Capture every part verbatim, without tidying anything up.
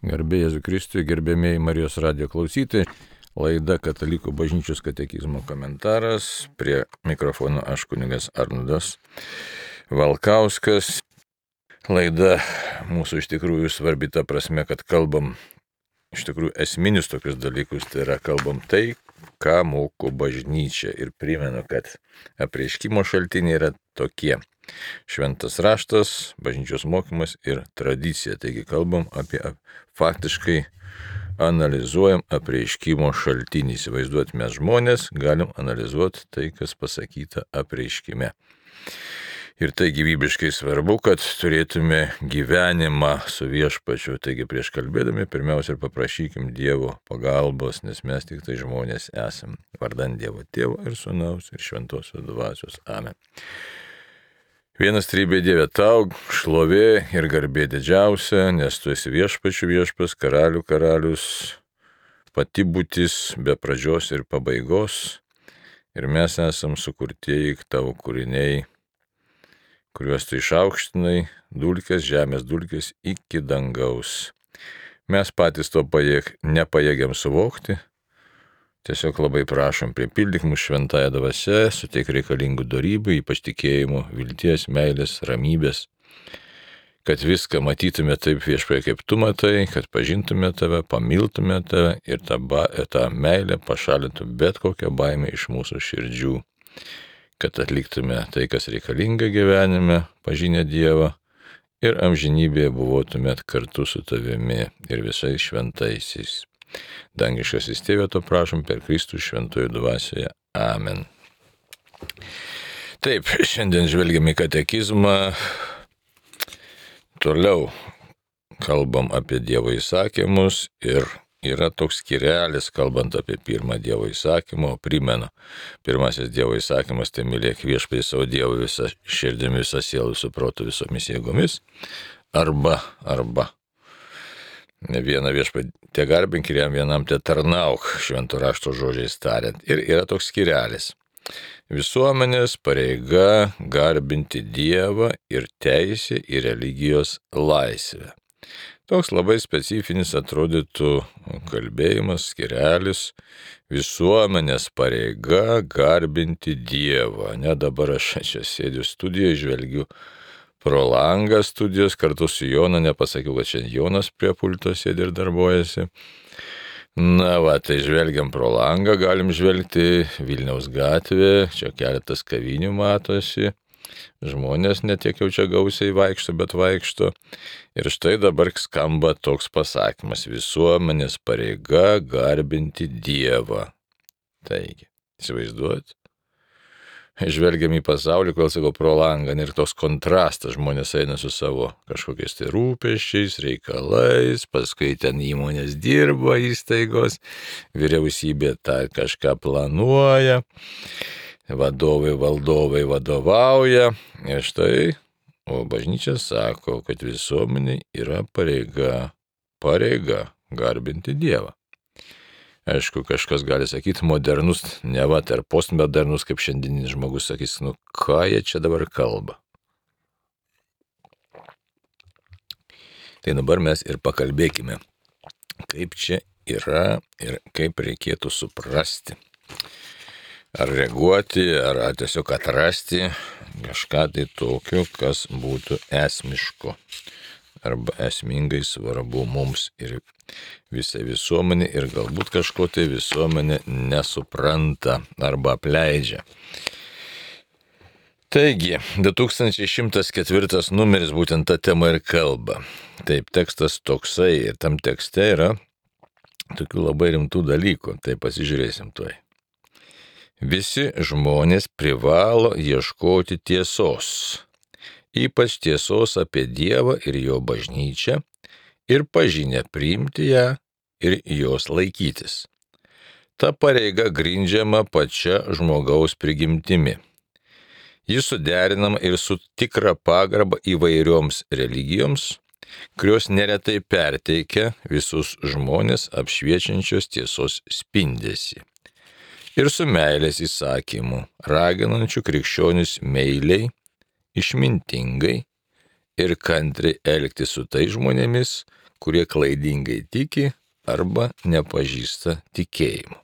Garbė Jėzui Kristui, gerbėmėjai Marijos radijo klausytojai, laida Katalikų bažnyčios katekizmo komentaras, prie mikrofono aš kunigas Arnoldas Valkauskas. Laida mūsų iš tikrųjų svarbi ta prasme, kad kalbam iš tikrųjų esminius tokius dalykus, tai yra kalbam tai, ką moko bažnyčia, ir primenu, kad apreiškimo šaltiniai yra tokie: šventas raštas, bažnyčios mokymas ir tradicija. Taigi kalbam apie, faktiškai analizuojam apreiškimo šaltinį. Įsivaizduot, mes žmonės galim analizuoti tai, kas pasakyta apreiškime. Ir tai gyvybiškai svarbu, kad turėtume gyvenimą su viešpačiu. Taigi prieš kalbėdami pirmiausia ir paprašykim Dievo pagalbos, nes mes tik tai žmonės esam. Vardan Dievo Tėvo ir Sūnaus ir Šventosios Dvasios. Amen. Vienas trybė Dieve, tau šlovė ir garbė didžiausia, nes tu esi viešpačių viešpas, karalių karalius, pati būtis be pradžios ir pabaigos. Ir mes esam sukurtieji tavo kūriniai, kuriuos tu išaukštinai, dulkės, žemės dulkės iki dangaus. Mes patys to pajėg, nepajėgiam suvokti. Tiesiog labai prašom, pripildyk mūsų šventąją dvasią, suteik reikalingų dorybių, ypač tikėjimo, vilties, meilės, ramybės, kad viską matytume taip viešpai, kaip tu matai, kad pažintume tave, pamiltume tave ir tą, ba, tą meilę pašalintų bet kokią baimę iš mūsų širdžių, kad atliktume tai, kas reikalinga gyvenime, pažinę Dievą, ir amžinybėje buvotumėt kartu su tavimi ir visais šventaisiais. Dangiškasis Tėve, to prašom per Kristų šventojo dvasioje. Amen. Taip, šiandien žvelgiam į katekizmą. Toliau kalbam apie Dievo įsakymus ir yra toks skyrelis, kalbant apie pirmą Dievo įsakymą. O primenu, pirmasis Dievo įsakymas tai mylėk viešpatį savo Dievą visą širdimi, visą sielą, visų protų, visomis jėgomis. Arba, arba. Ne vieną viešpatį te garbink ir jam vienam te tarnauk, švento rašto žodžiais tariant. Ir yra toks skyrelis. Visuomenės pareiga garbinti Dievą ir teisė į religijos laisvę. Toks labai specifinis atrodytų kalbėjimas, skyrelis. Visuomenės pareiga garbinti Dievą. Ne, dabar aš čia sėdžiu studijoje, žvelgiu pro langą studijos kartu su Jonu, nepasakiau, kad šiandien Jonas prie pulto sėdi ir darbuojasi. Na va, tai žvelgiam pro langą, galim žvelgti Vilniaus gatvė, čia keletas kavinių matosi. Žmonės netiek jau čia gausiai vaikšto, bet vaikšto. Ir štai dabar skamba toks pasakymas: visuomenės pareiga garbinti Dievą. Taigi, įsivaizduojat? Žvelgiam į pasaulį, kol sakau, pro langą, ir toks kontrastas, žmonės eina su savo kažkokiais tai rūpesčiais, reikalais, paskui ten įmonės dirba, įstaigos, vyriausybė tą kažką planuoja, vadovai, valdovai vadovauja. Ir štai, o bažnyčia sako, kad visuomeniai yra pareiga, pareiga garbinti Dievą. Aišku, kažkas gali sakyti modernus, ne va, ar postmodernus, kaip šiandieninis žmogus sakys, nu ką jie čia dabar kalba. Tai dabar mes ir pakalbėkime, kaip čia yra ir kaip reikėtų suprasti. Ar reaguoti, ar tiesiog atrasti kažką tai tokio, kas būtų esmiško arba esmingai svarbu mums ir visai visuomenė, ir galbūt kažko tai visuomenė nesupranta arba apleidžia. Taigi, du tūkstančiai šimtas ketvirtas numeris būtent tą temą ir kalba. Taip, tekstas toksai, ir tam tekste yra tokių labai rimtų dalykų, tai pasižiūrėsim tuoj. Visi žmonės privalo ieškoti tiesos, ypač tiesos apie Dievą ir jo bažnyčią, ir pažinę priimti ją ir jos laikytis. Ta pareiga grindžiama pačia žmogaus prigimtimi. Jis suderinama ir su tikra pagarba įvairioms religijoms, kurios neretai perteikia visus žmonės apšviečiančios tiesos spindesį. Ir su meilės įsakymu, raginančiu krikščionis meiliai, išmintingai ir kantriai elgtis su tais žmonėmis, kurie klaidingai tiki arba nepažįsta tikėjimo.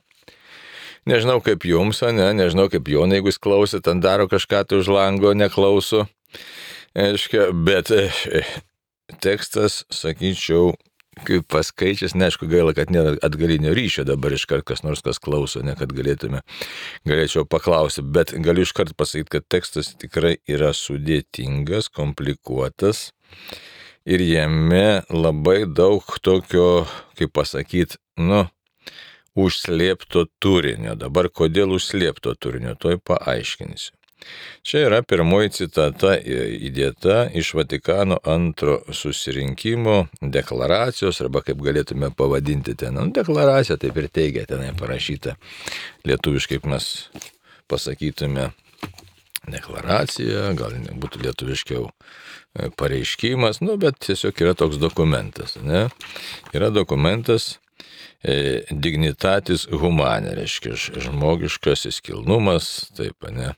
Nežinau kaip jums, ne, nežinau kaip Jonai, jeigu jis klausė, ten daro kažką tai už lango, neklauso. Aiškia, bet tekstas, sakyčiau, kaip paskaičias, neaišku, gaila, kad nėra atgalinio ryšio dabar iškart kas nors kas klauso, ne kad galėtume, galėčiau paklausyti, bet galiu iškart pasakyti, kad tekstas tikrai yra sudėtingas, komplikuotas ir jame labai daug tokio, kaip pasakyti, nu, užslėpto turinio. Dabar kodėl užslėpto turinio, toj paaiškinsiu. Čia yra pirmoji citata įdėta iš Vatikano antro susirinkimo deklaracijos, arba kaip galėtume pavadinti ten, nu, deklaracija, taip ir teigia, tenai parašyta lietuviškai, kaip mes pasakytume, deklaracija, gal būtų lietuviškiau pareiškimas, nu, bet tiesiog yra toks dokumentas, ne? Yra dokumentas e, dignitatis humane, reiškia žmogiškasis kilnumas, taip, ne?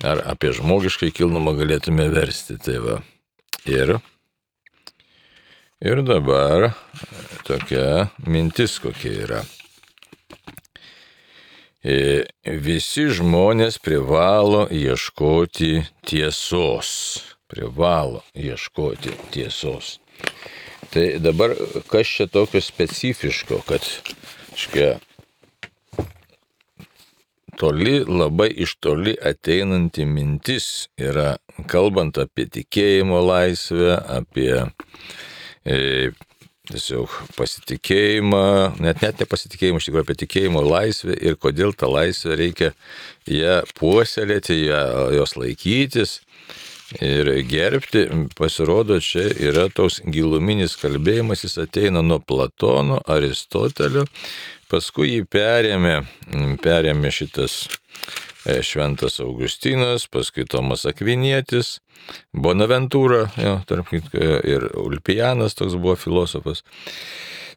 Ar apie žmogiškai kilnumą galėtume versti, tai va. Ir, ir dabar tokia mintis kokia yra. E, visi žmonės privalo ieškoti tiesos. Privalo ieškoti tiesos. Tai dabar kas čia tokio specifiško, kad škia, toli, labai iš toli ateinanti mintis yra, kalbant apie tikėjimo laisvę, apie e, tiesiog pasitikėjimą, net net nepasitikėjimą, iš tikrųjų apie tikėjimo laisvę ir kodėl tą laisvę reikia ją puoselėti, ją, jos laikytis ir gerbti. Pasirodo, čia yra toks giluminis kalbėjimas, jis ateina nuo Platono, Aristotelio, paskui jį perėmė, perėmė šitas Šventas Augustinas, paskui Tomas Akvinietis, Bonaventūra, jo, tarp kitko, ir Ulpianas toks buvo filosofas.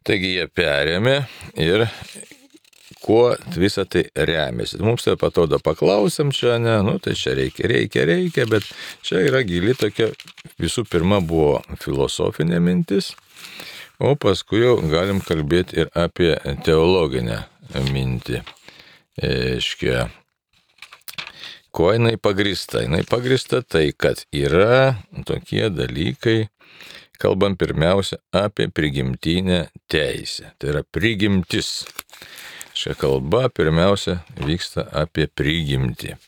Taigi jie perėmė ir kuo visą tai remiasi. Mums tai atrodo paklausėm čia, ne, nu tai čia reikia, reikia, reikia, bet čia yra gili tokia, visų pirma buvo filosofinė mintis, o paskui jau galim kalbėti ir apie teologinę mintį. Aiškia, kuo jinai pagrįsta? Jinai pagrįsta tai, kad yra tokie dalykai, kalbam pirmiausia apie prigimtinę teisę. Tai yra prigimtis. Šia kalba pirmiausia vyksta apie prigimtį.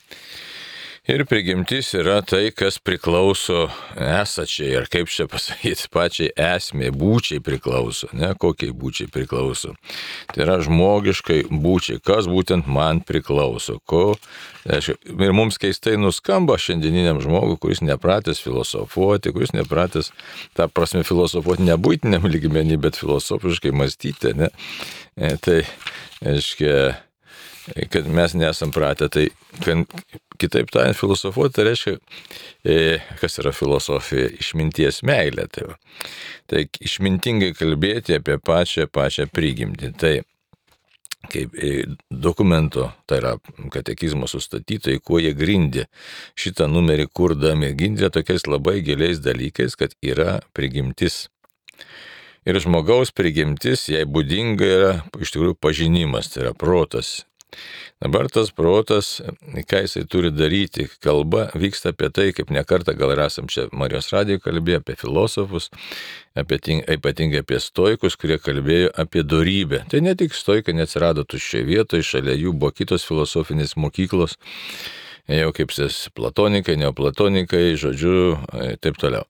Ir prigimtis yra tai, kas priklauso esačiai, ar kaip čia pasakyti, pačiai esmė, būčiai priklauso, ne, kokiai būčiai priklauso. Tai yra žmogiškai būčiai, kas būtent man priklauso. Ko, ir mums keistai nuskamba šiandieniniam žmogui, kuris nepratęs filosofuoti, kuris nepratęs, ta prasme, filosofuoti ne buitiniam lygmenį, bet filosofiškai mąstyti, ne. E, tai, aiškia, kad mes nesam pratę, tai kad, kitaip tariant, filosofuoti, tai reiškia, e, kas yra filosofija, išminties meilė. Tai, va. Tai išmintingai kalbėti apie pačią, pačią prigimtį. Tai kaip e, dokumento, tai yra katekizmo sustatytojai, kuo jie grindė šitą numerį kurdami, grindė tokiais labai giliais dalykais, kad yra prigimtis. Ir žmogaus prigimtis, jai būdinga yra iš tikrųjų pažinimas, tai yra protas. Dabar tas protas, ką jisai turi daryti, kalba vyksta apie tai, kaip nekartą gal ir esam čia Marijos radijoje kalbėję apie filosofus, apie, ypatingai apie stoikus, kurie kalbėjo apie dorybę. Tai ne tik stoikai neatsirado tuščioje vietoje, šalia jų buvo kitos filosofinės mokyklos, jau kaip sės platonikai, neoplatonikai, žodžiu, taip toliau.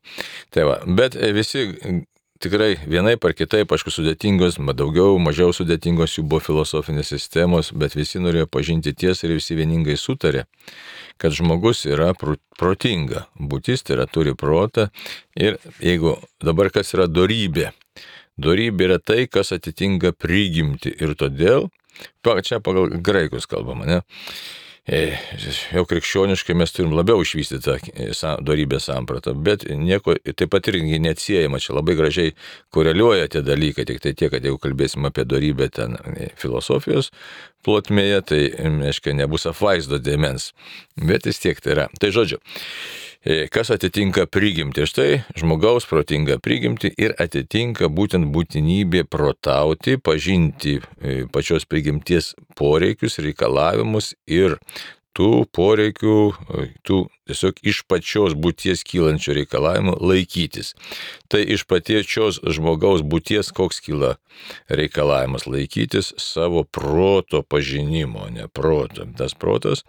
Tai va, bet visi tikrai vienaip ar kitaip, aišku, sudėtingos, daugiau, mažiau sudėtingos jų buvo filosofinės sistemos, bet visi norėjo pažinti tiesą ir visi vieningai sutarė, kad žmogus yra protinga, būtis, tai yra turi protą ir jeigu dabar kas yra dorybė, dorybė yra tai, kas atitinka prigimtį ir todėl, čia pagal graikus kalbama, ne? Jau krikščioniškai mes turim labiau išvystytą dorybės sampratą, bet nieko, taip pat irgi neatsiejama, čia labai gražiai koreliuoja tie dalykai, tik tai tiek, kad jeigu kalbėsim apie dorybę ten filosofijos plotmėje, tai, aiškiai, nebus apvaizdo dėmens. Bet vis tiek tai yra. Tai žodžiu, kas atitinka prigimtį? Štai žmogaus protinga prigimtį ir atitinka būtent būtinybė protauti, pažinti pačios prigimties poreikius, reikalavimus ir tų poreikių, tų tiesiog iš pačios būties kylančių reikalavimų laikytis. Tai iš pačios žmogaus būties koks kyla reikalavimas laikytis savo proto pažinimo, ne proto. Tas protas,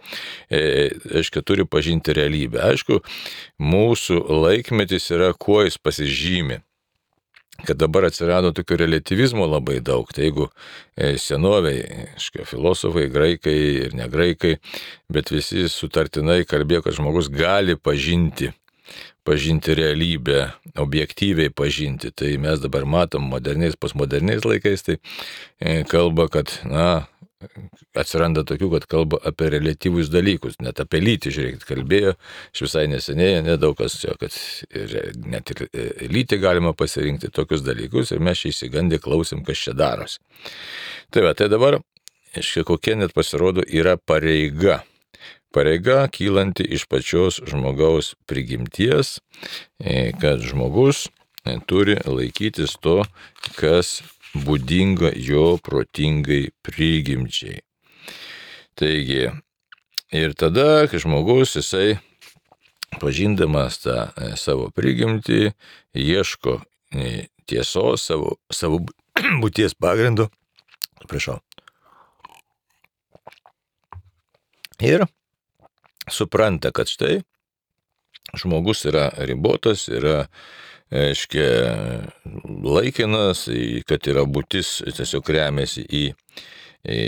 e, aišku, turi pažinti realybę. Aišku, mūsų laikmetis yra, kuo jis pasižymi. Kad dabar atsirado tokio relativizmo labai daug. Tai jeigu senoviai, aišku, filosofai, graikai ir ne graikai, bet visi sutartinai kalbėjo, kad žmogus gali pažinti, pažinti realybę, objektyviai pažinti. Tai mes dabar matom moderniais, postmoderniais laikais, tai kalba, kad, na, atsiranda tokių, kad kalba apie relatyvus dalykus, net apie lytį, žiūrėkit, kalbėjo, aš visai neseniai, nedaug kas čia, kad net ir lytį galima pasirinkti tokius dalykus ir mes čia įsigandę klausim, kas čia darosi. Tai va, tai dabar, aiškiai, kokia net pasirodo yra pareiga. Pareiga kylanti iš pačios žmogaus prigimties, kad žmogus turi laikytis to, kas būdinga jo protingai prigimčiai. Taigi, ir tada, kai žmogus, jisai, pažindamas tą savo prigimtį, ieško tiesos savo, savo būties pagrindu, prašau, ir supranta, kad štai žmogus yra ribotas, yra, aiškiai, laikinas, kad yra būtis tiesiog remiasi į, į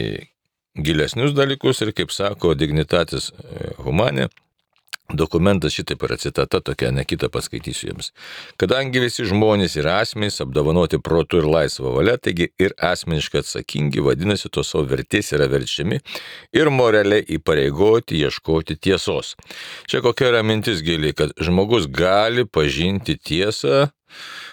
gilesnius dalykus ir, kaip sako Dignitatis Humanae, dokumentas šitaip yra citata tokia, ne kitą paskaitysiu jums. Kadangi visi žmonės yra asmenys, apdovanoti protu ir laisvą valią, taigi ir asmeniškai atsakingi, vadinasi, to savo vertės yra verčiami ir moraliai įpareigoti ieškoti tiesos. Čia kokia yra mintis gili, kad žmogus gali pažinti tiesą,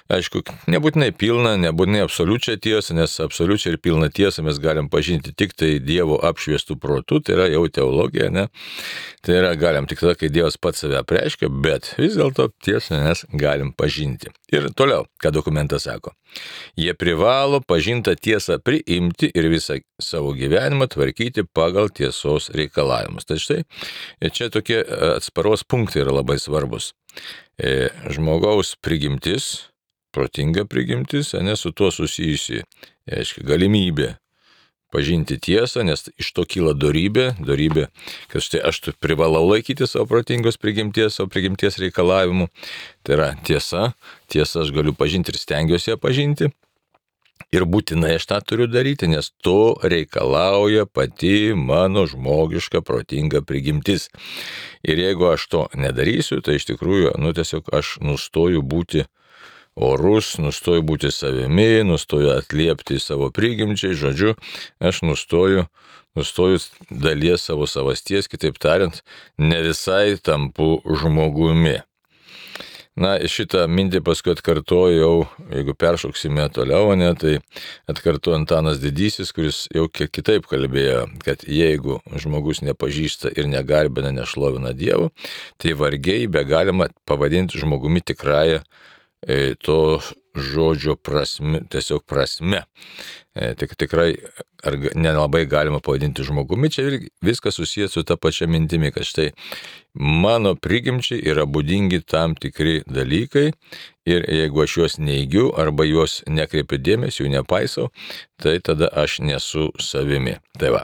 aišku, nebūtinai pilną, nebūtinai absoliučią tiesą, nes absoliučią ir pilną tiesą mes galim pažinti tik tai Dievo apšviestų protų, tai yra jau teologija, ne? Tai yra galim tik tada, kai Dievas pats save apreiškia, bet vis dėlto tiesą mes galim pažinti. Ir toliau, ką dokumentas sako. Jie privalo pažintą tiesą priimti ir visą savo gyvenimą tvarkyti pagal tiesos reikalavimus. Tai štai, čia tokie atsparos punktai yra labai svarbus. Žmogaus prigimtis, protinga prigimtis, ne su tuo susijusi, aiškiai, galimybė pažinti tiesą, nes iš to kyla dorybė, dorybė, kad štai aš privalau laikyti savo protingos prigimties, savo prigimties reikalavimų. Tai yra tiesa, tiesa aš galiu pažinti ir stengiuosi ją pažinti. Ir būtinai aš tą turiu daryti, nes to reikalauja pati mano žmogiška protinga prigimtis. Ir jeigu aš to nedarysiu, tai iš tikrųjų, nu tiesiog aš nustoju būti orus, nustoju būti savimi, nustoju atliepti savo prigimčiai, žodžiu, aš nustoju, nustoju dalies savo savasties, kitaip tariant, ne visai tampu žmogumi. Na, šitą mintį paskui atkartojau, jeigu peršoksime toliau, ne, tai atkartojo Antanas Didysis, kuris jau kiek kitaip kalbėjo, kad jeigu žmogus nepažįsta ir negarbina, nešlovina Dievą, tai vargiai be galima pavadinti žmogumi tikrąją e, to žodžio prasme, tiesiog prasme. E, tik tikrai ar nelabai galima pavadinti žmogumi, čia viskas susijęs su ta pačia mintimi, kad štai mano prigimčiai yra būdingi tam tikri dalykai ir jeigu aš juos neigiu arba juos nekreipiu dėmesio, jų nepaisau, tai tada aš nesu savimi. Tai va.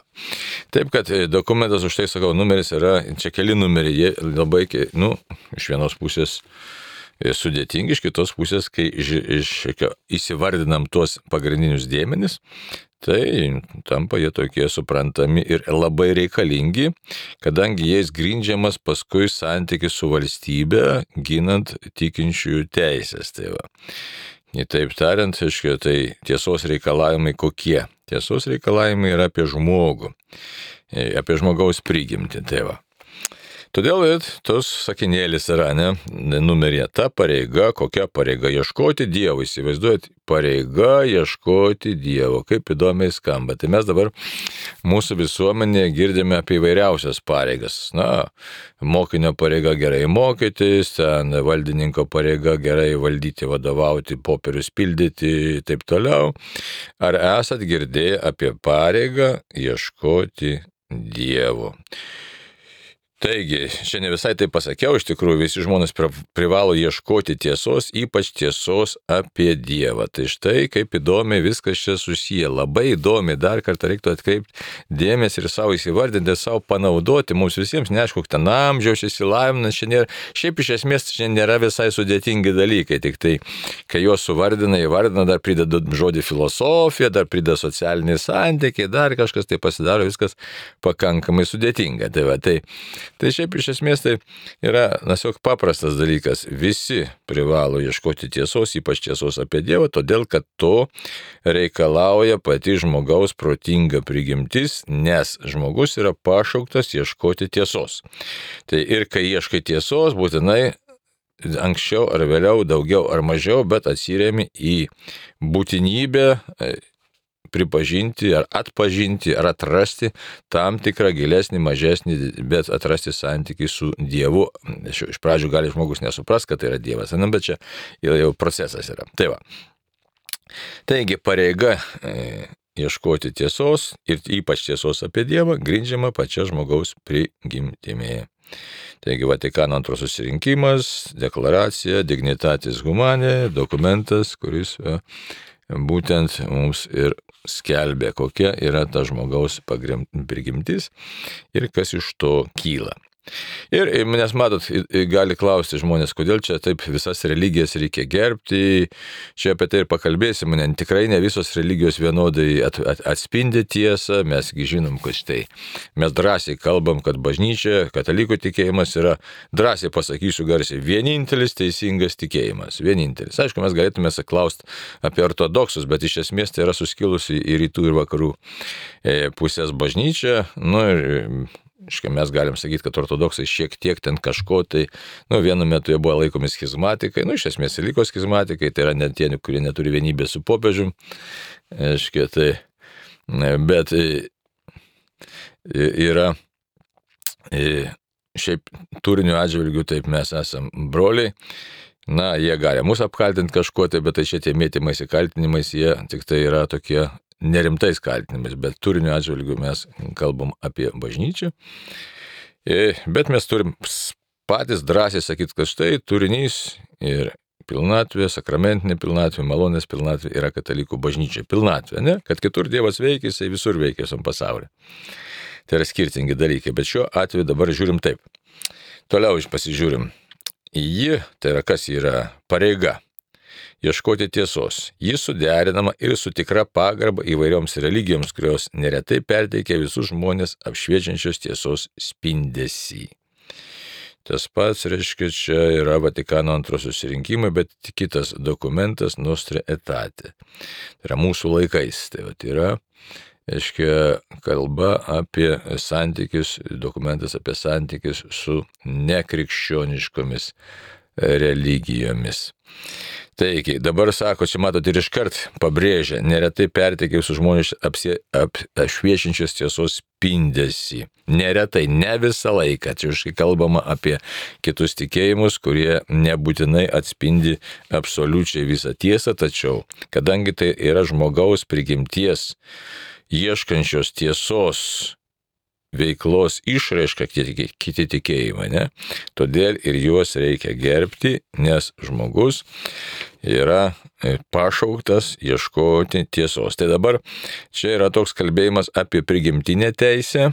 Taip, kad dokumentas, už tai sakau, numeris yra, čia keli numeriai, jie labai, nu, iš vienos pusės sudėtingi, iš kitos pusės, kai įsivardinam tuos pagrindinius dėmenis, tai tampa jie tokie suprantami ir labai reikalingi, kadangi jais grindžiamas paskui santykis su valstybe, ginant tikinčiųjų teisės. Tai va. Taip tariant, tai tiesos reikalavimai kokie? Tiesos reikalavimai yra apie žmogų, apie žmogaus prigimtį. Tai va. Todėl ir tos sakinėlis yra, ne, numerė ta pareiga, kokia pareiga ieškoti Dievo, įsivaizduojat, pareiga ieškoti Dievo, kaip įdomiai skamba. Tai mes dabar mūsų visuomenėje girdime apie įvairiausias pareigas. Na, mokinio pareiga gerai mokytis, ten valdininko pareiga gerai valdyti, vadovauti, popierius pildyti, taip toliau. Ar esat girdėję apie pareigą ieškoti Dievo? Taigi, čia ne visai tai pasakiau, iš tikrųjų visi žmonės privalo ieškoti tiesos, ypač tiesos apie Dievą. Tai štai kaip įdomiai viskas čia susiję. Labai įdomiai, dar kartą reiktų atkreipti dėmesį ir savo įsivardinti, savo panaudoti. Mums visiems neaišku, ten amžiaus įsilavinimas, čia nėra, šiaip iš esmės čia nėra visai sudėtingi dalykai, tik tai, kai juos suvardina, įvardina, dar prideda žodį filosofija, dar prideda socialiniai santykiai, dar kažkas, tai pasidaro viskas pakankamai sudėtinga. Tai va, tai Tai šiaip iš esmės tai yra, tiesiog paprastas dalykas. Visi privalo ieškoti tiesos, ypač tiesos apie Dievą, todėl kad to reikalauja pati žmogaus protinga prigimtis, nes žmogus yra pašauktas ieškoti tiesos. Tai ir kai ieškai tiesos, būtinai anksčiau ar vėliau, daugiau ar mažiau, bet atsiremi į būtinybę pripažinti ar atpažinti ar atrasti tam tikrą gilesnį, mažesnį, bet atrasti santykį su Dievu. Iš pradžių gali žmogus nesupras, kad tai yra Dievas, bet čia jau procesas yra. Tai va. Taigi pareiga e, ieškoti tiesos ir ypač tiesos apie Dievą grindžiama pačia žmogaus prigimtimi. Taigi Vatikano antro susirinkimas, deklaracija, dignitatis humanae, dokumentas, kuris e, būtent mums ir skelbė, kokia yra ta žmogaus prigimtis ir kas iš to kyla. Ir, nes matot, gali klausti žmonės, kodėl čia taip visas religijas reikia gerbti, čia apie tai ir pakalbėsim, ne, tikrai ne visos religijos vienodai at, at, atspindi tiesą, mesgi žinom, kad štai mes drąsiai kalbam, kad bažnyčia, katalikų tikėjimas yra, drąsiai pasakysiu garsiai, vienintelis teisingas tikėjimas, vienintelis. Aišku, mes galėtume klausti apie ortodoksus, bet iš esmės tai yra suskilusi į rytų ir vakarų pusės bažnyčia, nu ir Iškai mes galim sakyti, kad ortodoksai šiek tiek ten kažko, tai nu, vienu metu jie buvo laikomi schizmatikai, nu, iš esmės liko schizmatikai, tai yra net tie, kurie neturi vienybės su popiežium, iškai, tai, bet yra, šiaip turinio atžvilgių, taip mes esam broliai, na, jie gali mus apkaltinti kažkuo, tai, bet tai šitie mėtymais įkaltinimais, jie tik tai yra tokie nerimtais kaltinimais, bet turinio atžvilgių mes kalbam apie bažnyčią. Bet mes turim patys drąsiai sakyti, kad štai turinys ir pilnatvė, sakramentinė pilnatvė, malonės pilnatvė yra katalikų bažnyčia. Pilnatvė, ne? Kad kitur Dievas veikia, jisai visur veikia visam pasaulyje. Tai yra skirtingi dalykai, bet šiuo atveju dabar žiūrim taip. Toliau iš pasižiūrim. Ji, tai yra kas yra pareiga. Ieškoti tiesos. Ji suderinama ir su tikra pagarba įvairioms religijoms, kurios neretai perteikia visus žmonės apšviečiančios tiesos spindesį. Tas pats, reiškia, čia yra Vatikano antro susirinkimai, bet kitas dokumentas Nostra Aetate. Tai yra mūsų laikais. Tai va, yra, reiškia, kalba apie santykius, dokumentas apie santykius su nekrikščioniškomis religijomis. Taigi, dabar sako, čia matot ir iškart pabrėžia, neretai perteikia visus žmonės apšviečiančios tiesos spindesį. Neretai, ne visą laiką, čia iškai kalbama apie kitus tikėjimus, kurie nebūtinai atspindi absoliučiai visą tiesą, tačiau, kadangi tai yra žmogaus prigimties ieškančios tiesos veiklos išraiška kiti, kiti tikėjimai, ne? Todėl ir juos reikia gerbti, nes žmogus yra pašauktas ieškoti tiesos. Tai dabar čia yra toks kalbėjimas apie prigimtinę teisę,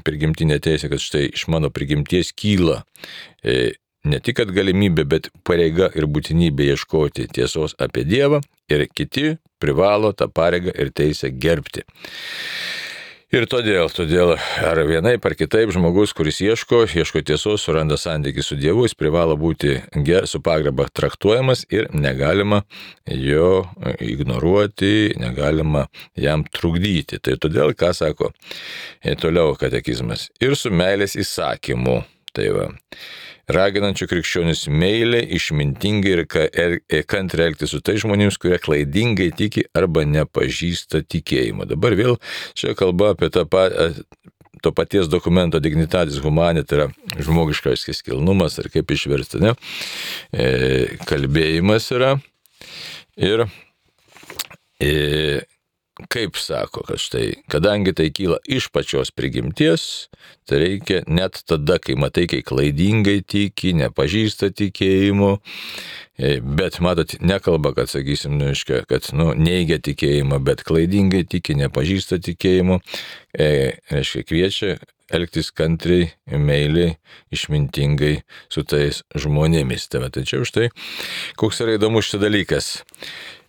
prigimtinę teisę, kad štai iš mano prigimties kyla e, ne tik kad galimybė, bet pareiga ir būtinybė ieškoti tiesos apie Dievą ir kiti privalo tą pareigą ir teisę gerbti. Ir todėl, todėl ar vienaip ar kitaip žmogus, kuris ieško, ieško tiesos, suranda santykį su Dievu, jis privalo būti su pagarba traktuojamas ir negalima jo ignoruoti, negalima jam trukdyti. Tai todėl, ką sako toliau katekizmas, ir su meilės įsakymu. Tai va. Raginančių krikščionis meilė, išmintingai ir kantriai elgtis su tai žmonėms, kurie klaidingai tiki arba nepažįsta tikėjimo. Dabar vėl čia kalba apie tą patį. To paties dokumento dignitatis humani, tai yra žmogiškasis kilnumas, ar kaip išversti, ne? E, kalbėjimas yra. Ir e, kaip sako, kad štai, kadangi tai kyla iš pačios prigimties, tai reikia net tada, kai matai, kai klaidingai tiki, nepažįsta tikėjimo, bet matot, nekalba, kad, sakysim, nu, iškia, kad nu, neigia tikėjimą, bet klaidingai tiki, nepažįsta tikėjimo, e, reiškia, kviečia elgtis kantriai, meiliai, išmintingai su tais žmonėmis. Tai, va, tai čia už tai, koks yra įdomus šitas dalykas.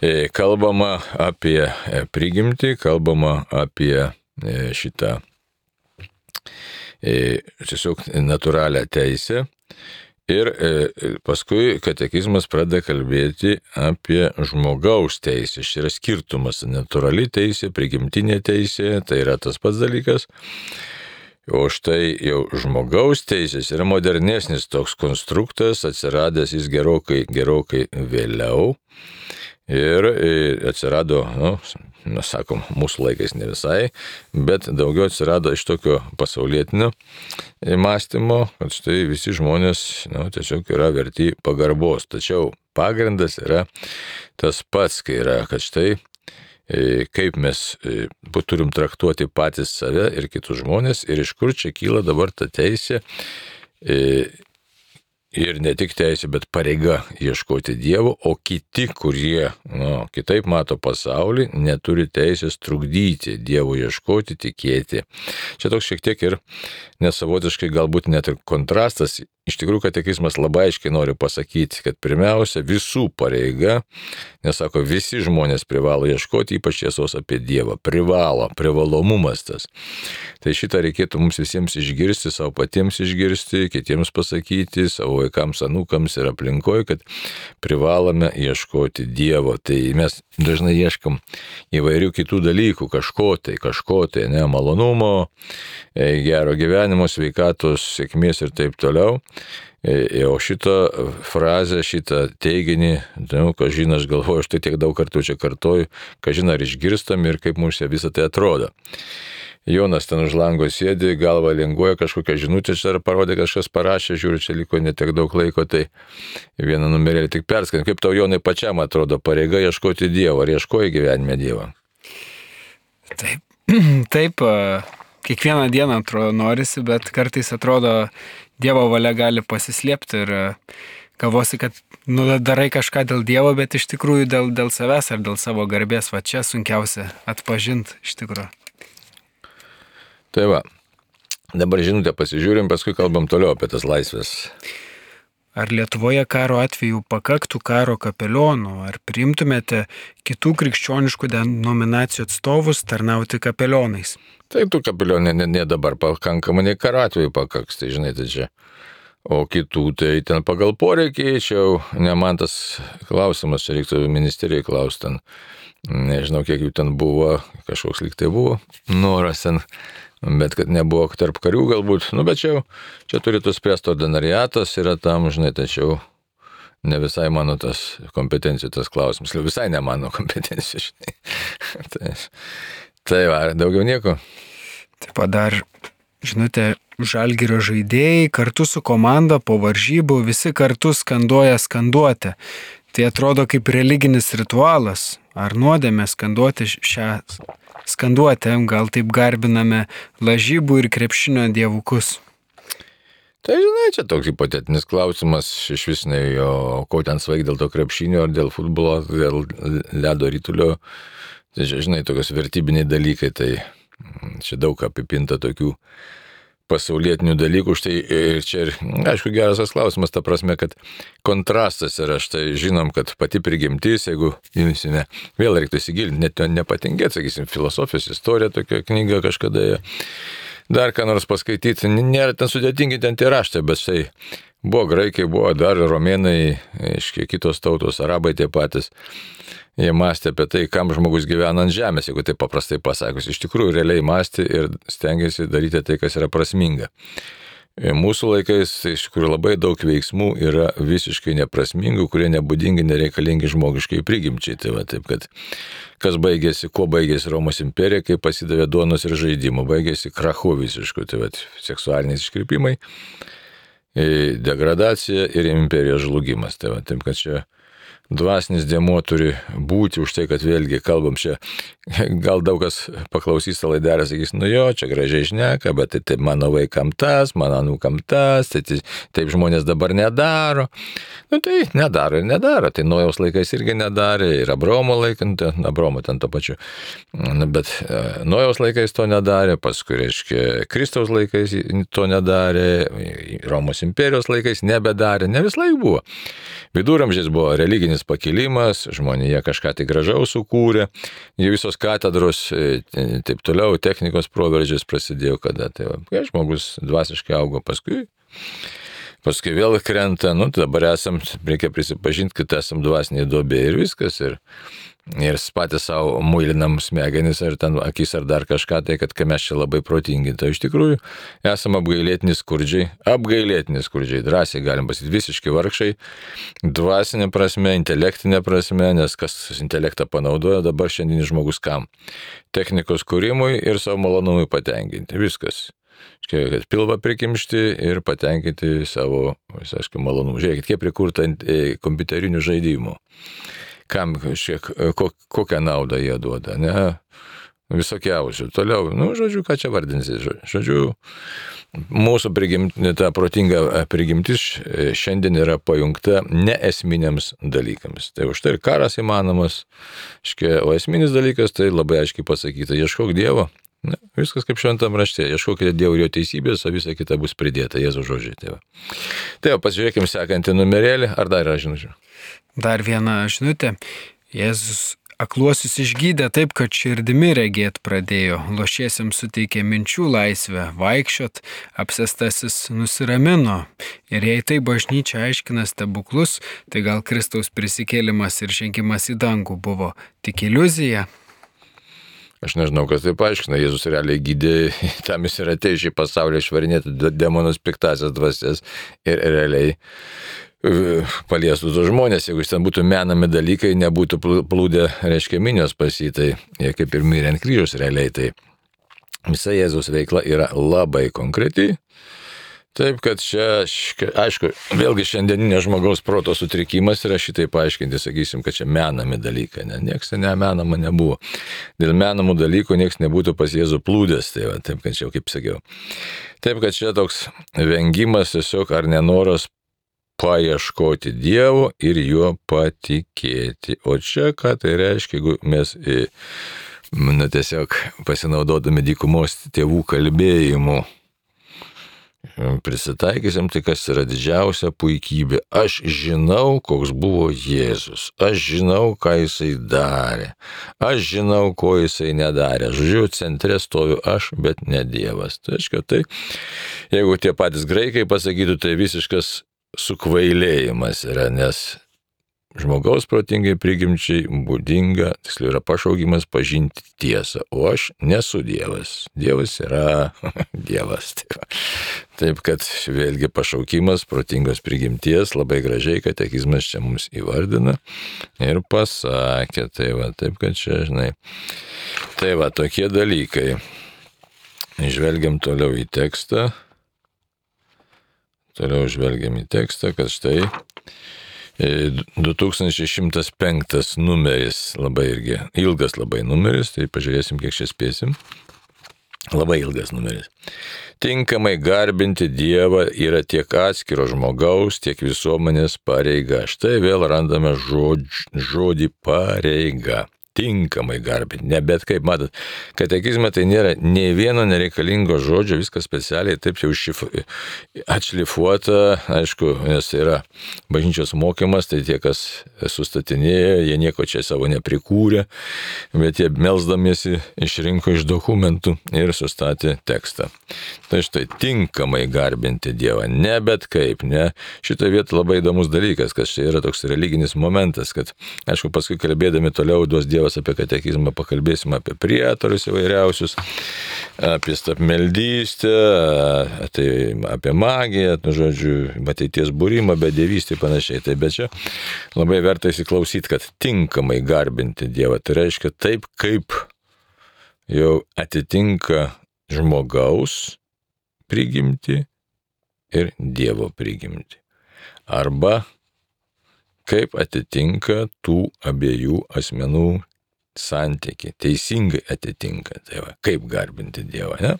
E, kalbama apie prigimtį, kalbama apie e, šitą e, tiesiog natūralią teisę. Ir e, paskui katekizmas pradeda kalbėti apie žmogaus teisę. Šis yra skirtumas. Natūrali teisė, prigimtinė teisė, tai yra tas pats dalykas. O štai jau žmogaus teisės yra modernesnis toks konstruktas, atsiradęs jis gerokai, gerokai vėliau. Ir atsirado, nu, mes sakom, mūsų laikais ne visai, bet daugiau atsirado iš tokio pasaulietinio mąstymo, kad štai visi žmonės, nu, tiesiog yra verti pagarbos. Tačiau pagrindas yra tas pats, kai yra, kad štai kaip mes turim traktuoti patys save ir kitus žmonės ir iš kur čia kyla dabar ta teisė. Ir ne tik teisė, bet pareiga ieškoti Dievo, o kiti, kurie nu, kitaip mato pasaulį, neturi teisės trukdyti Dievo ieškoti, tikėti. Čia toks šiek tiek ir nesavotiškai galbūt net ir kontrastas. Iš tikrųjų, katekizmas labai aiškiai nori pasakyti, kad pirmiausia visų pareiga, nes sako, visi žmonės privalo ieškoti, ypač tiesos apie Dievą. Privalo, privalomumas tas. Tai šitą reikėtų mums visiems išgirsti, savo patiems išgirsti, kitiems pasakyti, savo vaikams, anūkams ir aplinkoje, kad privalome ieškoti Dievo. Tai mes dažnai ieškam įvairių kitų dalykų, kažko tai, kažko tai, ne, malonumo, gero gyvenimo, sveikatos, sėkmės ir taip toliau. O šitą frazę, šitą teiginį, nu, kažin aš galvoju, aš tai tiek daug kartų čia kartoju, kažin ar išgirstam ir kaip mums visą tai atrodo. Jonas ten už lango sėdi, galva linguoja, kažkokią žinutę čia ar parodė, kažkas parašė, žiūri, čia liko netiek daug laiko, tai vieną numerėlį tik perskant. Kaip tau, Jonai, pačiam atrodo pareiga ieškoti Dievo, ar ieškoji gyvenime Dievo? Taip, taip, kiekvieną dieną atrodo norisi, bet kartais atrodo Dievo valia gali pasislėpti ir galvosi, kad nu, darai kažką dėl Dievo, bet iš tikrųjų dėl, dėl savęs ar dėl savo garbės, va čia sunkiausia atpažinti iš tikrųjų. Tai va, dabar žinutę pasižiūrim, paskui kalbam toliau apie tas laisvės. Ar Lietuvoje karo atveju pakaktų karo kapelionų, ar priimtumėte kitų krikščioniškų denominacijų atstovus tarnauti kapelionais? Taip, tų kapelionų ne, ne dabar pakankamai, nei karo atveju pakaks, tai žinai, tai čia. O kitų, tai ten pagal poreikį, čia jau ne man tas klausimas, čia reiktų ministerijai klausti ten. Nežinau, kiek jų ten buvo, kažkoks lyg tai buvo noras ten. Bet kad nebuvo tarp karių galbūt, nu bet čia, čia turėtų spręsti ordinariatas, yra tam, žinai, tačiau ne visai mano tas kompetencijų tas klausimas, visai ne mano kompetencijų, žinai. tai, tai va, daugiau nieko. Taip pat dar, žinote, Žalgirio žaidėjai kartu su komanda po varžybų visi kartu skanduoja skanduotę. Tai atrodo kaip religinis ritualas. Ar nuodėmė skanduoti šią skanduotę, gal taip garbiname lažybų ir krepšinio dievukus? Tai žinai, čia toks hipotetinis klausimas, iš vis ne jo, ko ten svaig dėl to krepšinio, ar dėl futbolo, dėl ledo rytulio. Tai žinai, tokios vertybiniai dalykai, tai čia daug apipinta tokių pasaulietinių dalykų, štai ir čia ir, aišku, geras tas klausimas, ta prasme, kad kontrastas yra, štai žinom, kad pati prigimtis, jeigu imsime, vėl reiktų įsigilinti, net nepatingėti, sakysim, filosofijos istorija, tokia knyga kažkada, dar ką nors paskaityti, nėra ten sudėtingi ten tie raštai, bet štai buvo graikai, buvo dar romėnai, aiškiai, kitos tautos, arabai tie patys. Jie mąstė apie tai, kam žmogus gyvena ant žemės, jeigu taip paprastai pasakius. Iš tikrųjų, realiai mąstė ir stengiasi daryti tai, kas yra prasminga. Mūsų laikais tai iš tikrųjų labai daug veiksmų yra visiškai neprasmingų, kurie nebūdingi, nereikalingi žmogiškai prigimčiai. Tai va, taip, kad kas baigėsi, kuo baigėsi Romos imperija, kai pasidavė duonos ir žaidimų, baigėsi krachu visišku, tai va, seksualiniais iškrypimai, degradacija ir imperijos žlugimas. Tai va, taip, kad čia dvasinis dėmuo turi būti už tai, kad vėlgi kalbam čia, gal daug kas paklausys tą laidelę, sakys, nu jo, čia gražiai šneka, bet tai, tai mano vaikam tas, mano anūkam tas, tai, tai taip žmonės dabar nedaro. Nu tai nedaro ir nedaro, tai Nojaus laikais irgi nedarė, ir Abraomo laikant, Abraomo ten to pačiu, bet Nojaus laikais to nedarė, paskui, reiškia, Kristaus laikais to nedarė, Romos imperijos laikais nebedarė, ne vis laik buvo. Viduramžiais buvo religinis pakilimas, žmonėje kažką tai gražaus sukūrė, jų visos katedros, taip toliau, technikos proveržės prasidėjo, kada tai va, kai žmogus dvasiškai augo, paskui, paskui vėl krenta, nu dabar esam, reikia prisipažinti, kad esam dvasiniai duobė ir viskas, ir, ir patys savo muilinam smegenis ar ten akis ar dar kažką, tai kad kai mes čia labai protingi, tai iš tikrųjų esam apgailėtini skurdžiai, apgailėtini skurdžiai, drąsiai galim pasakyti, visiškai vargšai, dvasinė prasme, intelektinė prasme, nes kas intelektą panaudoja dabar šiandienis žmogus kam? Technikos kūrimui ir savo malonumui patenkinti, viskas. Kad pilvą prikimšti ir patenkinti savo, aišku, malonumų. Žiūrėkit, kiek prikurta kompiuterinių žaidimų. Kam, šiek, kokią naudą jie duoda, ne? Visokiausių. Toliau, nu, žodžiu, ką čia vardinsi, žodžiu, mūsų prigimti, ta protinga prigimtis šiandien yra pajungta neesminiams dalykams. Tai už tai ir karas įmanomas, o esminis dalykas tai labai aiškiai pasakyta, ieškok Dievo. Ne, viskas kaip šventam rašte, ieškokite Dievo ir jo teisybės, o visa kita bus pridėta, Jėzaus žodžiai. Tai va, tai va pasižiūrėkime sekantį numerėlį, ar dar yra žinučių? Dar viena žinutė. Jėzus akluosius išgydė taip, kad širdimi regėt pradėjo, lošiesiems suteikė minčių laisvę, vaikščiot, apsėstasis nusiramino. Ir jei tai bažnyčia aiškina stebuklus, tai gal Kristaus prisikėlimas ir žengimas į dangų buvo tik iliuzija? Aš nežinau, kas tai paaiškina. Jėzus realiai gydė, tam jis yra atėjo šį pasaulį išvarinėti demonus piktasias dvasias ir realiai paliestų tos žmonės. Jeigu jis ten būtų menami dalykai, nebūtų plūdę, reiškia, minios pas jį, tai jie kaip ir mirė ant kryžiaus realiai. Tai visa Jėzaus veikla yra labai konkreti. Taip, kad čia, aišku, vėlgi šiandieninė žmogaus proto sutrikimas yra šitai paaiškinti, sakysim, kad čia menami dalykai, ne, nieks ne menama nebuvo. Dėl menamų dalykų nieks nebūtų pas Jėzų plūdęs, tai va, taip, kad čia jau kaip sakiau. Taip, kad čia toks vengimas tiesiog ar nenoras paieškoti Dievo ir juo patikėti. O čia ką tai reiškia, jeigu mes, na, tiesiog pasinaudodami dykumos tėvų kalbėjimu, prisitaikysim, tai kas yra didžiausia puikybė. Aš žinau, koks buvo Jėzus. Aš žinau, ką jisai darė. Aš žinau, ko jisai nedarė. Žodžiu, centre stoviu aš, bet ne Dievas. Tai reiškia, tai, jeigu tie patys graikai pasakytų, tai visiškas sukvailėjimas yra, nes žmogaus protingai prigimčiai būdinga, tiksliau yra pašaukimas pažinti tiesą, o aš nesu Dievas. Dievas yra Dievas. Taip, kad vėlgi pašaukimas protingos prigimties labai gražiai katekizmas čia mums įvardina ir pasakė. Tai va, taip, kad čia, žinai, tai va, tokie dalykai. Žvelgiam toliau į tekstą. Toliau žvelgiam į tekstą, kad štai du tūkstančiai šimtas penktas numeris, labai irgi ilgas labai numeris, tai pažiūrėsim, kiek čia spėsim. Labai ilgas numeris. Tinkamai garbinti Dievą yra tiek atskiro žmogaus, tiek visuomenės pareiga. Štai vėl randame žodž, žodį pareiga. Tinkamai garbinti, ne bet kaip, matot, katekizme tai nėra nei vieno nereikalingo žodžio, viskas specialiai taip jau šif... atšlifuota, aišku, nes yra bažnyčios mokymas, tai tie, kas sustatinėja, jie nieko čia savo neprikūrė, bet jie melsdamiesi išrinko iš dokumentų ir sustatė tekstą. Tai štai, tinkamai garbinti Dievą, ne bet kaip, ne. Šitoje vietoje labai įdomus dalykas, kad čia yra toks religinis momentas, kad, aišku, paskui kalbėdami toliau duos Dievas paskaitos apie katekizmą, pakalbėsim apie prietarus įvairiausius, apie stapmeldystę, tai apie magiją, nu, žodžiu, ateities būrimą, bedievystę ir panašiai. Tai bet čia labai verta įsiklausyti, kad tinkamai garbinti Dievą. Tai reiškia taip, kaip jau atitinka žmogaus prigimti ir Dievo prigimti. Arba kaip atitinka tų abiejų asmenų santykiai. Teisingai atitinka. Tai va, kaip garbinti Dievą, ne?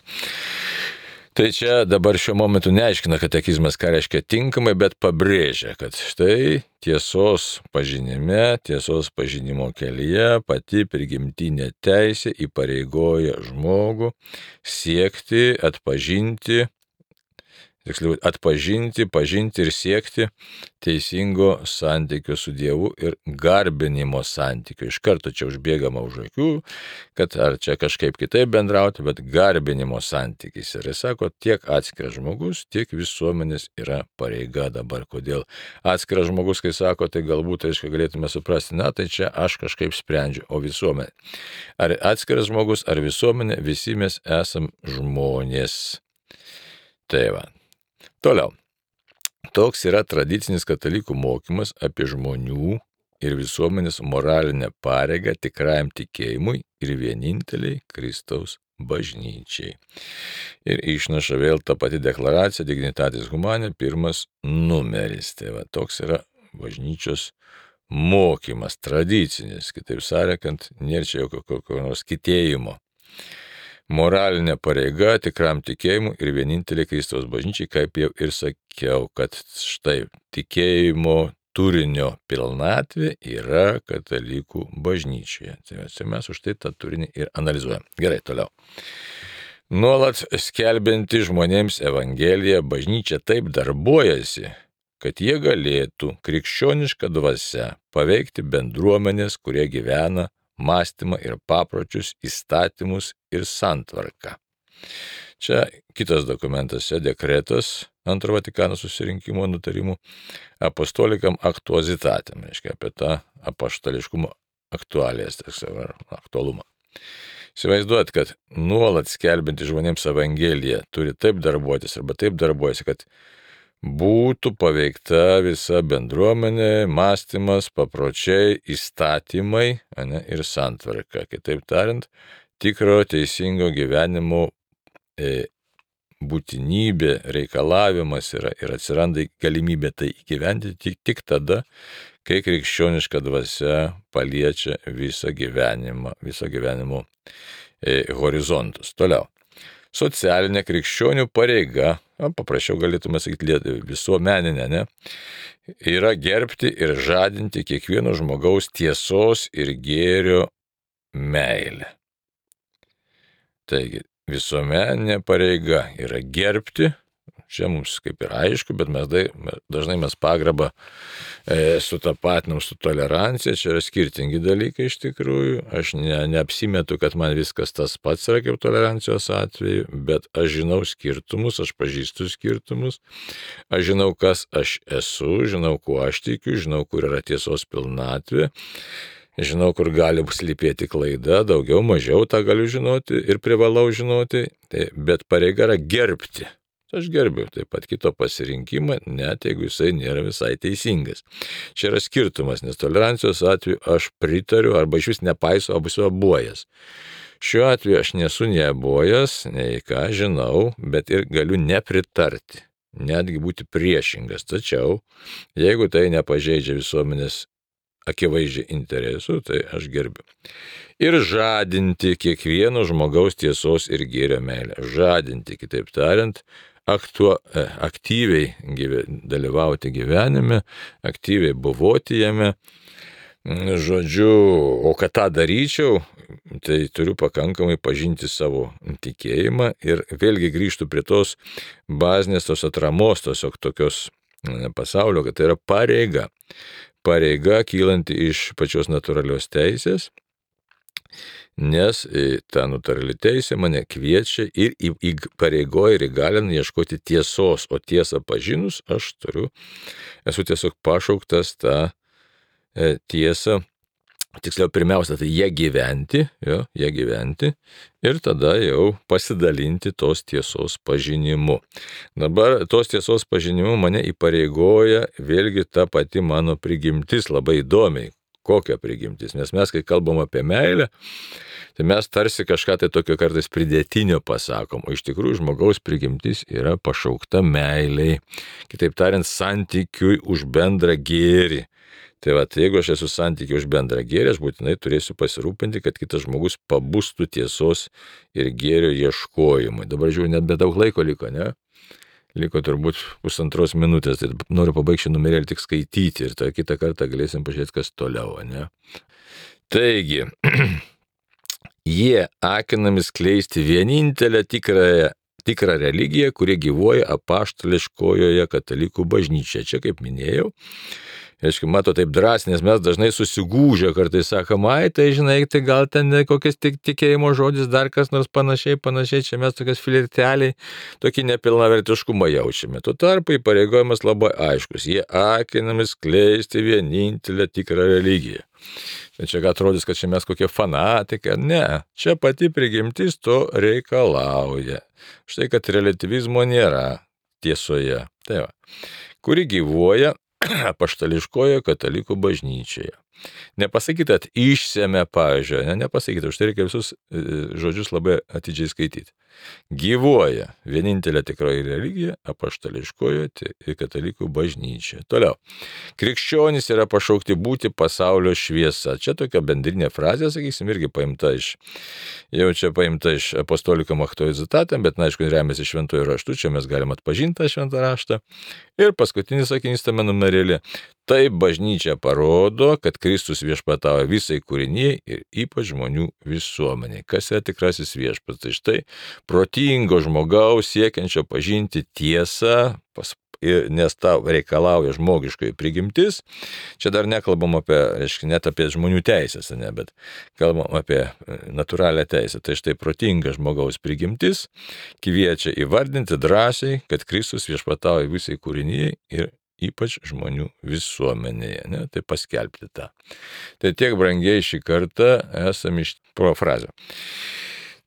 Tai čia dabar šiuo momentu neaiškina katekizmas, ką reiškia tinkamai, bet pabrėžia, kad štai tiesos pažinime, tiesos pažinimo kelyje pati prigimtinė teisė įpareigoja žmogų siekti, atpažinti, tiksliau, atpažinti, pažinti ir siekti teisingo santykio su Dievu ir garbinimo santykio. Iš karto čia užbėgama už akių, kad ar čia kažkaip kitaip bendrauti, bet garbinimo santykis. Ir jis sako, tiek atskiras žmogus, tiek visuomenės yra pareiga dabar. Kodėl atskiras žmogus, kai sako, tai galbūt, aišku, galėtume suprasti, na, tai čia aš kažkaip sprendžiu, o visuomenė. Ar atskiras žmogus, ar visuomenė, visi mes esam žmonės. Tai va. Toliau. Toks yra tradicinis katalikų mokymas apie žmonių ir visuomenės moralinę pareigą tikrajam tikėjimui ir vieninteliai Kristaus bažnyčiai. Ir išnaša vėl ta pati deklaracija Dignitatis Humanae, pirmas numeris. Tai va, toks yra bažnyčios mokymas, tradicinis, kitaip sakant, nėra čia jokio kokio nors kitėjimo. Moralinė pareiga tikram tikėjimui ir vienintelė Kristaus bažnyčiai, kaip jau ir sakiau, kad štai tikėjimo turinio pilnatvė yra katalikų bažnyčioje. Tai mes už tai tą turinį ir analizuojam. Gerai, toliau. Nuolat skelbianti žmonėms Evangeliją, bažnyčia taip darbuojasi, kad jie galėtų krikščionišką dvasią paveikti bendruomenės, kurie gyvena, mąstymą ir papročius, įstatymus ir santvarką. Čia kitas dokumentas, dekretas antro Vatikano susirinkimo nutarimų apostolikam aktuozitatem, reiškia apie tą apaštališkumo aktualijas, ar aktualumą. Įsivaizduot, kad nuolat skelbinti žmonėms Evangeliją turi taip darbuotis arba taip darbuojasi, kad būtų paveikta visa bendruomenė, mąstymas, papročiai, įstatymai, ane, ir santvarka. Kitaip tariant, tikro teisingo gyvenimo e, būtinybė, reikalavimas yra ir atsiranda galimybė tai įgyvendinti tik, tik tada, kai krikščioniška dvasia paliečia visą gyvenimą, visą gyvenimo e, horizontus. Toliau. Socialinė krikščionių pareiga, paprasčiau galėtume sakyti visuomeninė, ne, yra gerbti ir žadinti kiekvieno žmogaus tiesos ir gėrio meilę. Taigi, visuomeninė pareiga yra gerbti, čia mums kaip ir aišku, bet mes dažnai mes pagarbą e, sutapatinam su tolerancija, čia yra skirtingi dalykai iš tikrųjų, aš ne, neapsimetu, kad man viskas tas pats yra kaip tolerancijos atveju, bet aš žinau skirtumus, aš pažįstu skirtumus, aš žinau, kas aš esu, žinau, kuo aš tikiu, žinau, kur yra tiesos pilnatvė, žinau, kur gali slypėti klaida, daugiau, mažiau tą galiu žinoti ir privalau žinoti, tai, bet pareiga yra gerbti. Aš gerbiu taip pat kito pasirinkimą, net jeigu jisai nėra visai teisingas. Čia yra skirtumas, nes tolerancijos atveju aš pritariu arba iš vis nepaiso, arba esu abuojas. Šiuo atveju aš nesu nei abuojas, nei ką žinau, bet ir galiu nepritarti, netgi būti priešingas. Tačiau, jeigu tai nepažeidžia visuomenės akivaizdžiai interesų, tai aš gerbiu. Ir žadinti kiekvieno žmogaus tiesos ir gėrio meilę. Žadinti, kitaip tariant, aktuo, aktyviai gyve, dalyvauti gyvenime, aktyviai buvoti jame. Žodžiu, o kad tą daryčiau, tai turiu pakankamai pažinti savo tikėjimą ir vėlgi grįžtu prie tos bazinės, tos atramos, tos tokios pasaulio, kad tai yra pareiga. Pareiga kylanti iš pačios natūralios teisės, nes ta natūrali teisė mane kviečia ir įpareigoja ir įgalina ieškoti tiesos, o tiesą pažinus aš turiu, esu tiesiog pašauktas tą tiesą tiksliau pirmiausia, tai jie gyventi, jo, jie gyventi ir tada jau pasidalinti tos tiesos pažinimu. Dabar tos tiesos pažinimu mane įpareigoja vėlgi ta pati mano prigimtis labai įdomiai. Kokia prigimtis? Nes mes, kai kalbam apie meilę, tai mes tarsi kažką tai tokio kartais pridėtinio pasakom, o iš tikrųjų žmogaus prigimtis yra pašaukta meiliai. Kitaip tariant, santykiui už bendrą gėrį. Tai va, jeigu aš esu santykiai už bendrą gėrį, aš būtinai turėsiu pasirūpinti, kad kitas žmogus pabustų tiesos ir gėrio ieškojimui. Dabar žiūrėjau, net be daug laiko liko, ne? Liko turbūt pusantros minutės, tai noriu pabaigti šį numerėlį tik skaityti ir tą kitą kartą galėsim pažiūrėti, kas toliau, ne? Taigi, jie akinami skleisti vienintelę tikrąją, tikrą religiją, kuri gyvuoja apaštališkojoje katalikų bažnyčioje. Čia, kaip minėjau, aišku, mato taip drąsiai, nes mes dažnai susigūžę kartais sakom, ai, tai žinai, tai gal ten kokias tik tikėjimo žodis, dar kas nors panašiai, panašiai, čia mes tokias flirteliai, tokį nepilnavertiškumą jaučiame. Tuo tarpu įpareigojimas labai aiškus, jie akinami skleisti vienintelę tikrą religiją. Tai čia atrodys, kad čia mes kokie fanatikai, ne, čia pati prigimtis to reikalauja. Štai, kad relativizmo nėra tiesoje, tai va, kuri gyvuoja apaštališkoje katalikų bažnyčioje. Nepasakyta, kad išsėmė, pavyzdžiui, ne, nepasakyta, už tai reikia visus žodžius labai atidžiai skaityti. Gyvuoja vienintelė tikroji religija apaštališkoje katalikų bažnyčioje. Toliau. Krikščionys yra pašaukti būti pasaulio šviesa. Čia tokia bendrinė frazė, sakysim, irgi paimta iš, jau čia paimta iš apostoliko Machtojo Zitatam, bet, na, aišku, remiasi šventojų raštų, čia mes galim atpažinti tą šventą raštą. Ir paskutinis sakinys tame numerėlį. Taip bažnyčia parodo, kad Kristus viešpatauja visai kūrinijai ir ypač žmonių visuomeniai. Kas yra tikrasis viešpats? Tai štai protingo žmogaus siekiančio pažinti tiesą, pas, nes tau reikalauja žmogiškoji prigimtis. Čia dar nekalbam apie, reiškia, net apie žmonių teisės, ne, bet kalbam apie natūralią teisę. Tai štai protinga žmogaus prigimtis kviečia įvardinti drąsiai, kad Kristus viešpatauja visai kūrinijai ir ypač žmonių visuomenėje, ne, tai paskelbti tą. Tai tiek, brangiai, šį kartą esame iš profrazio.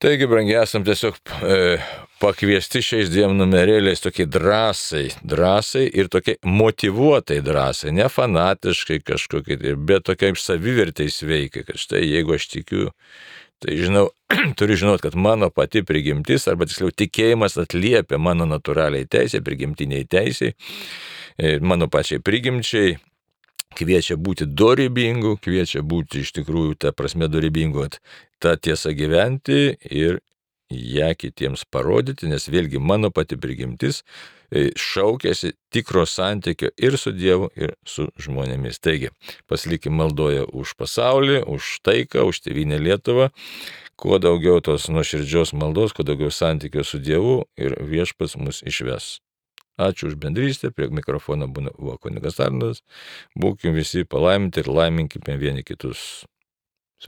Taigi, brangiai, esam tiesiog e, pakviesti šiais dviem numerėliais tokiai drąsai, drąsai ir tokiai motyvuotai drąsai, ne fanatiškai kažkokiai, bet tokiai savivertai sveikai, kad štai jeigu aš tikiu, tai žinau, turiu žinot, kad mano pati prigimtis, arba tiksliau tikėjimas atliepia mano natūraliai teisė, prigimtiniai teisė, mano pačiai prigimčiai, kviečia būti dorybingu, kviečia būti iš tikrųjų tą prasme dorybingu, tą tiesą gyventi ir ją kitiems parodyti, nes vėlgi mano pati prigimtis šaukėsi tikro santykio ir su Dievu, ir su žmonėmis. Taigi, pasilikim maldoje už pasaulį, už taiką, už tėvynę Lietuvą, kuo daugiau tos nuoširdžios maldos, kuo daugiau santykio su Dievu ir viešpats mus išves. Ačiū už bendrystę, prie mikrofono buvo kunigas Arnoldas, būkim visi palaiminti ir laiminkime vieni kitus.